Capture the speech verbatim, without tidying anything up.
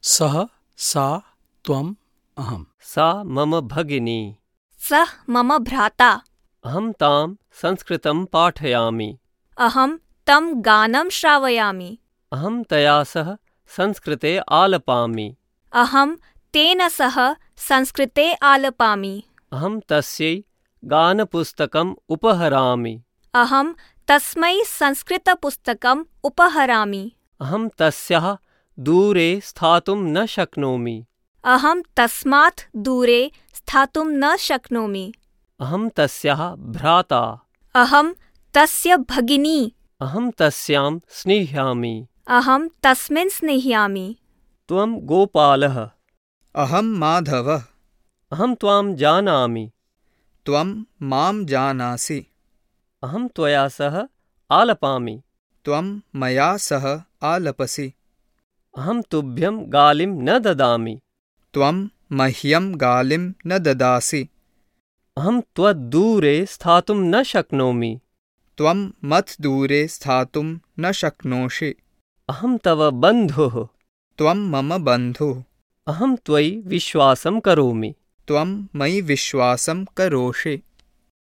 सः सा त्वम् अहम्। सा मम भगिनी। सः मम भ्राता। अहं तां संस्कृतं पाठयामि। अहं तं गानं श्रावयामि। अहं तया सह संस्कृते आलपामि। अहं तेन सह संस्कृते आलपामि। अहं तस्यै गानपुस्तकम् उपहरामि। अहं तस्मै संस्कृतपुस्तकम् उपहरामि। अहं तस्याः दूरे स्थातुं न शक्नोमि। अहं तस्मात् दूरे स्थातुं न शक्नोमि। अहं तस्याः भ्राता। अहं तस्य भगिनी। अहं तस्यां स्निह्यामि। अहं तस्मिन् स्निह्यामि। त्वं गोपालः। अहं माधवः। अहं त्वां जानामि। त्वं मां जानासि। अहं त्वया सह आलपामि। त्वं मया सह आलपसि। अहं तुभ्यं गालिं न ददामि। त्वं मह्यं गालिं न ददासि। अहं त्वद्दूरे स्थातुं न शक्नोमि। त्वं मत्दूरे स्थातुं न शक्नोषि। अहं तव बन्धुः। त्वं मम बन्धुः। अहं त्वयि विश्वासं करोमि। त्वं मयि विश्वासं करोषि।